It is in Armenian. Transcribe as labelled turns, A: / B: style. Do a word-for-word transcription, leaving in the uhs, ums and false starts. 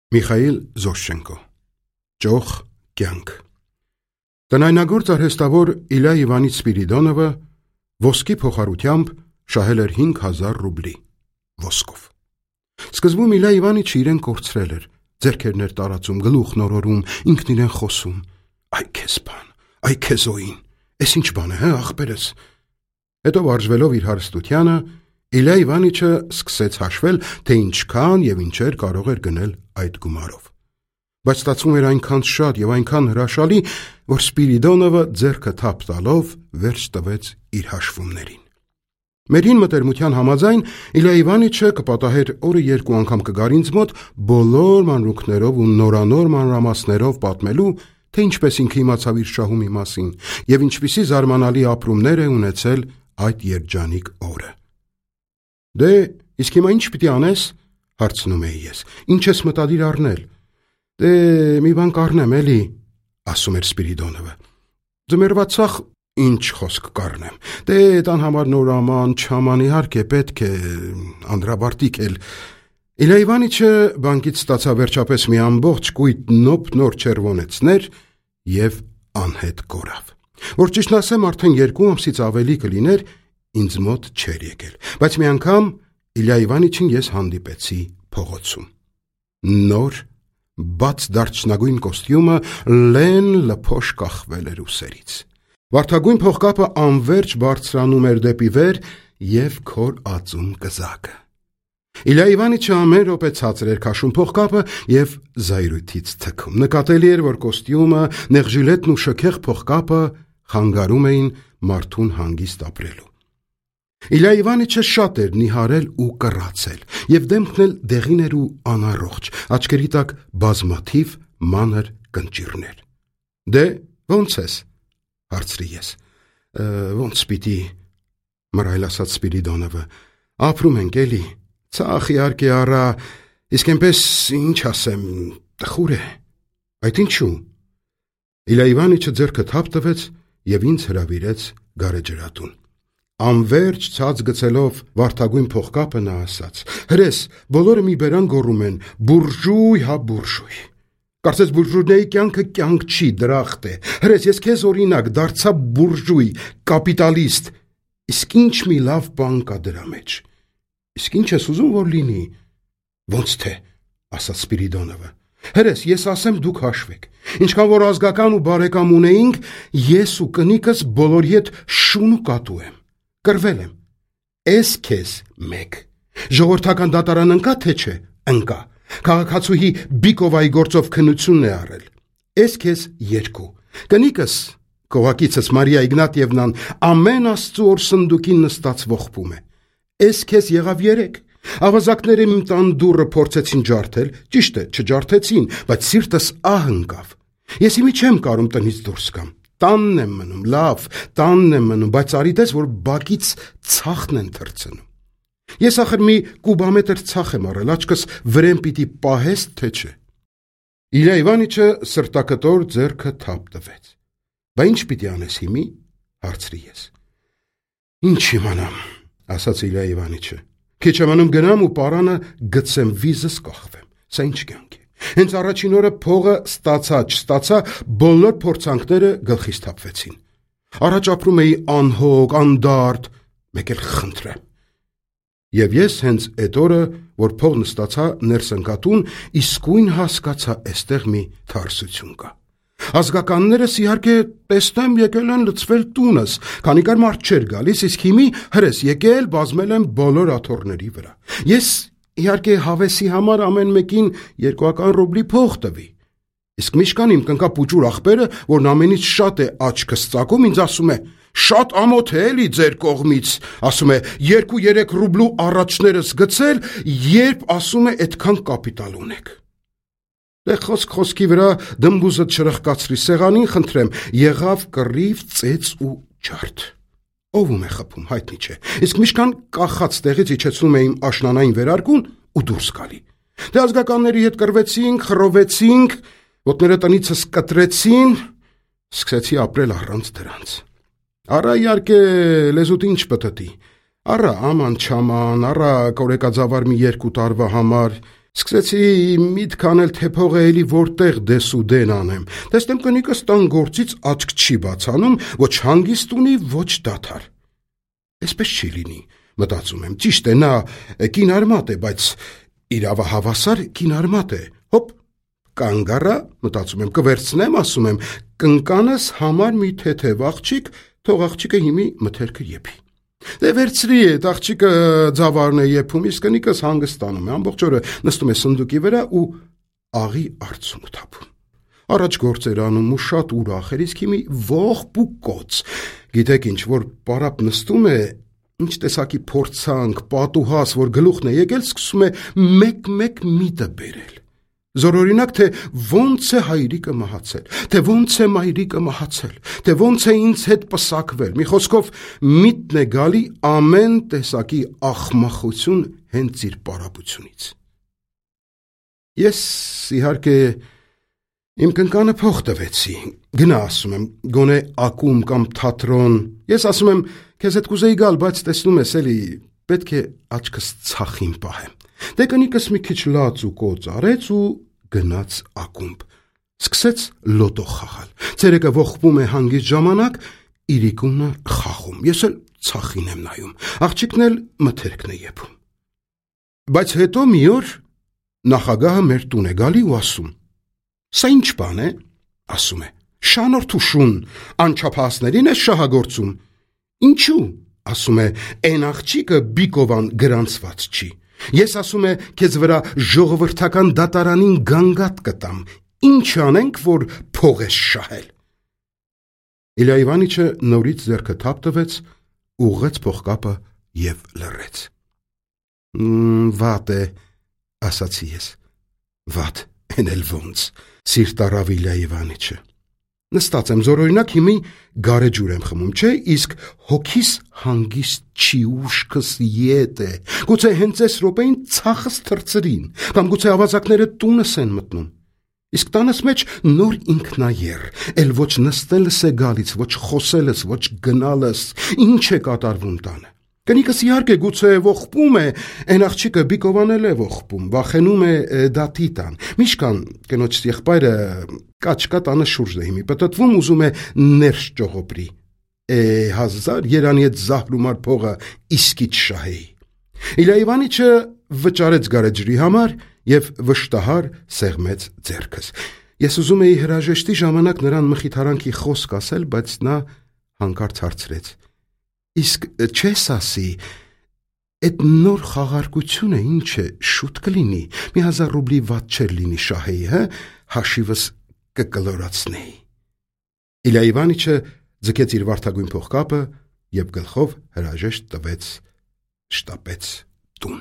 A: Միխայիլ Զոշչենկո Ճոխ կյանք Տնայնագործ արհեստավոր Իլյա Իվանիչ Սպիրիդոնովը ոսկի փոխարությամբ շահել էր հինգ հազար ռուբլի ոսկով։ Սկզբում Իլյա Իվանիչը իրեն կորցրել էր, ձեռքերն էր տարածում, գլուխ նորորում, ինքն իրեն խոսում. «Այ քեզ բան, այ քեզ օին, էս ինչ բան է, հա, ախպերս»։ Հետո վարժվելով իր հարստությանը, Իլյա Իվանիչը սկսեց հաշվել, թե ինչքան եւ ինչեր կարող էր գնել այդ գումարով։ Բայց ստացվում էր այնքան շատ եւ այնքան հրաշալի, որ Սպիրիդոնովը ձեռքը թափ տալով վերջ տվեց իր հաշվումներին։ Մերին մտերմության համաձայն Իլյա Իվանիչը կպատահեր օրը երկու անգամ կգար ինձ մոտ բոլոր մանրուքներով ու նորանոր մանրամասներով պատմելու, թե ինչպես ինքը իմացավ իր շահումի մասին եւ ինչպիսի զարմանալի ապրումներ է ունեցել այդ երջանիկ օրը։ Դե, իսկ հիմա ինչ պիտի անես, հարցնում էի ես, ինչ ես մտադիր առնել։ Դե, մի բան կառնեմ էլի, ասում էր Սպիրիդոնովը։ Ձմեռվա ցախ ինչ խոսք կառնեմ։ Դե, տան համար նորաման, չաման, իհարկե պետք է, անդրաբարտիկ էլ։ Իլյա Իվանիչը բանկից ստացավ վերջապես մի ամբողջ կույտ նոպ նոր չերվոնեցներ եւ անհետ կորավ։ Որ ճիշտն ասեմ, արդեն երկու ամսից ավելի կլիներ, ինձ մոտ չէր եկել, բայց մի անգամ Իլյա Իվանիչին ես հանդիպեցի փողոցում։ Նոր, բաց դարչնագույն կոստյումը լեն լփոշ կախվել էր ուսերից։ Վարդագույն փողկապը անverջ բարձրանում էր դեպի վեր եւ քոր ածում կզակը։ Իլյա Իվանիչը ամեն րոպե ցածր էր քաշում փողկապը եւ զայրույթից թքում։ Նկատելի էր, որ կոստյումը, նեղժիլետն ու շքեղ փողկապը խանգարում էին մարդուն հանգիստ ապրելու։ Իլյա Իվանիչը շատ էր նիհարել ու կռացել, եւ դեմքն էլ դեղին էր ու անառողջ, աչքերի տակ բազմաթիվ մանր կնճիռներ։ Դե, ո՞նց ես, հարցրի ես։ Ոնց պիտի, մռայլ ասաց Սպիրիդոնովը, ապրում ենք էլի, ցախ իհարկե առա, իսկ այնպես ինչ ասեմ, տխուր է։ Այդ ինչու։ Իլյա Իվանիչը ձեռքը թափ տվեց եւ ինձ հրավիրեց գարեջրատուն։ Անverջ ցած գցելով վարդագույն փողկապը նա ասաց. «Հրես, բոլորը մի բերան գոռում են. բուրժույ, հա բուրժույ։ Կարծես բուրժուйների կյանքը կյանք չի, դրախտ է։ Հրես, ես քեզ օրինակ դարձա բուրժույ, կապիտալիստ։ Իսկ ինչ մի լավ բան կա դրա մեջ։ Իսկ ինչ ես ուզում որ լինի»։ Ոնց թե, ասաց Սպիրիդոնովը։ Հրես, ես ասեմ դուք հաշվեք։ Ինչքան որ ազգական ու բարեկամ ունեինք, ես ու կնիկս բոլորի հետ շուն ու կատու եմ։ Կրվել եմ։ Էս քեզ մեկ։ Ժողովրդական դատարան ընկա թե չէ։ Ընկա։ Քաղաքացուհի Բիկովայի գործով քննությունն է առել։ Էս քեզ երկու։ Կնիկս, կողակիցս Մարիա Իգնատիևնան, ամեն աստծու օր սնդուկին նստած ողբում է։ Էս քեզ եղավ երեք։ Ավազակները իմ տան դուռը փորձեցին ջարդել, ճիշտ է, չջարդեցին, բայց սիրտս ահ ընկավ։ Ես իմի չեմ կարում տնից դուրս գամ։ Տանն եմ մնում, լավ, տանն եմ մնում, բայց արիտես, որ բակից ցախն են թռցնում։ Ես ախր մի կուբամետր ցախ եմ առել, աչքս վրեն պիտի պահես, թե չէ։ Իլյա Իվանիչը սրտակտոր ձեռքը թափ տվեց։ Բա ինչ պիտի անես հիմի, հարցրի ես։ Ինչ իմանամ, ասաց Իլյա Իվանիչը։ Քիչ ամանում գնամ ու պարանը գցեմ, վիզս կախվեմ։ Սա ինչ կյանք է։ Հենց առաջին օրը փողը ստացա, չստացա, բոլոր փորձանքները գլխիս թափվեցին։ Առաջ ապրում էի անհոգ, անդարդ, մեկ էլ խնդրեմ։ Եվ ես հենց այդ օրը, որ փողն ստացա, ներս ընկատուն, իսկույն հասկացա, էստեղ մի թարսություն կա։ Ազգականներս իհարկե տեսնեմ եկել են լցվել տունս, քանի կար մարդ չէր գալիս, իսկ հիմի հրես եկել բազմել են բոլոր աթոռների վրա։ Ես իհարկե հավեսի համար ամեն մեկին երկուական ռուբլի փող տվի։ Իսկ միշկան իմ կնկա պուճուր ախպերը, որն ամենից շատ է աչքս ծակում, ինձ ասում է. «Շատ ամոթ է էլի ձեր կողմից», ասում է, «երկու-երեք ռուբլու առաջներս գցել, երբ ասում է այդքան կապիտալ ունեք»։ Դե խոսք խոսքի վրա դմբուզը չրխկացրի սեղանին, խնդրեմ, եղավ կռիվ, ծեծ ու ջարդ։ Ով է խփում, հայտնի չէ։ Իսկ միշկան կախած տեղից իջեցնում է իմ աշնանային վերարկուն ու դուրս գալի։ Դե ազգականների հետ կռվեցինք, խռովեցինք, ոտները տնիցս կտրեցին, սկսեցի ապրել առանց դրանց։ Առա իհարկե լեզուտ ինչ պտտի։ Առա աման չաման, առա կորեկաձավար մի երկու տարվա համար, Սկսեցի միտք անել, թե փողը էլի որտեղ դես ու դեն անեմ։ Տեսնեմ կնիկս տան գործից աչք չի բացանում, ոչ հանգիստ ունի, ոչ դադար։ Այսպես չի լինի, մտածում եմ, ճիշտ է, նա կինարմատ է, բայց իրավահավասար կինարմատ է։ Հոպ, կանգ առա, մտածում եմ, կվերցնեմ, ասում եմ, կնկանս համար մի թեթև աղջիկ, թող աղջիկը հիմի մթերքը եփի։ Դե վերցրի այդ աղջիկը ձավարն է եփում, իսկ կնիկս հանգստանում է, ամբողջ օրը նստում է սնդուկի վրա ու աղի արցունք թափում։ Առաջ գործեր անում ու շատ ուրախ էր, իսկ հիմի ողբ ու կոց։ Գիտեք ինչ, որ պարապ նստում է, ինչ տեսակի փորձանք, պատուհաս, որ գլուխն է եկել, սկսում է մեկ-մեկ միտը բերել։ Զորօրինակ, թե ոնց է հայրիկը մահացել, թե ոնց է մայրիկը մահացել, թե ոնց է ինձ հետ պսակվել, մի խոսքով միտն է գալի ամեն տեսակի ախմախություն հենց իր պարապությունից։ Ես իհարկե իմ կնկանը փող տվեցի, գնա ասում եմ, գոնե ակում կամ թատրոն, ես ասում եմ, քեզ հետ կուզեի գալ, բայց տեսնում ես էլի, պետք է աչքս ցախին պահեմ։ Դե կնիկս մի քիչ լաց ու կոծ արեց ու գնաց ակումբ, սկսեց լոտո խաղալ, ցերեկը ողբում է հանգիստ ժամանակ, իրիկունը խաղում, ես էլ ցախին եմ նայում, աղջիկն էլ մթերքն է եփում։ Բայց հետո մի օր նախագահը մեր տուն է գալի ու ասում. Սա ինչ բան է, ասում է, շանորթ ու շուն, անչափահասներին է շահագործում։ Ինչու, ասում է, այն աղջիկը Բիկովան գրանցված չի։ Ես ասում է, քեզ վրա ժողովրդական դատարանին գանգատ կտամ, ինչ անենք, որ փող ես շահել։ Իլյա Իվանիչը նորից ձեռքը թափ տվեց, ուղղեց փողկապը և լռեց։ Վատ է, ասացի ես, վատ, են էլ ոնց, սիրտ առավ Իլյա Իվանիչը։ Նստած եմ զորօրինակ հիմի գարեջուր եմ խմում, չէ, իսկ հոգիս հանգիստ չի, ուշքս ետ է, գուցե հենց այս րոպեին ցախս թռցրին, կամ գուցե ավազակները տունս են մտնում, իսկ տանս մեջ նոր ինքնաեր, էլ ոչ նստելս է գալիս, ոչ խոսելս, ոչ գնալս, ինչ է կատարվում տանը։ Կնիկս իհարկե գուցե ողբում է, այն աղջիկը Բիկովան էլ է ողբում, վախենում է դատի տան։ Միշկան կնոջ եղբայրը կաչկա տանը շուրջն է հիմի պտտվում, ուզում է ներս ճողոպրի։ Է հազար երանի այդ զահրումար փողը իսկից շահեի։ Իլյա Իվանիչը վճարեց գարեջրի համար և վշտահար սեղմեց ձեռքս։ Ես ուզում էի հրաժեշտի ժամանակ նրան մխիթարանքի խոսք ասել, բայց նա հանկարծ հարցրեց. Իսկ չես ասի, այդ նոր խաղարկությունը ինչ է, շուտ կլինի, մի հազար ռուբլի վատ չեր լինի շահեի, հը, հաշիվս կկլորացնեի։ Իլյա Իվանիչը ձգեց իր վարդագույն փողկապը և գլխով հրաժեշտ տվեց, շտապեց տուն։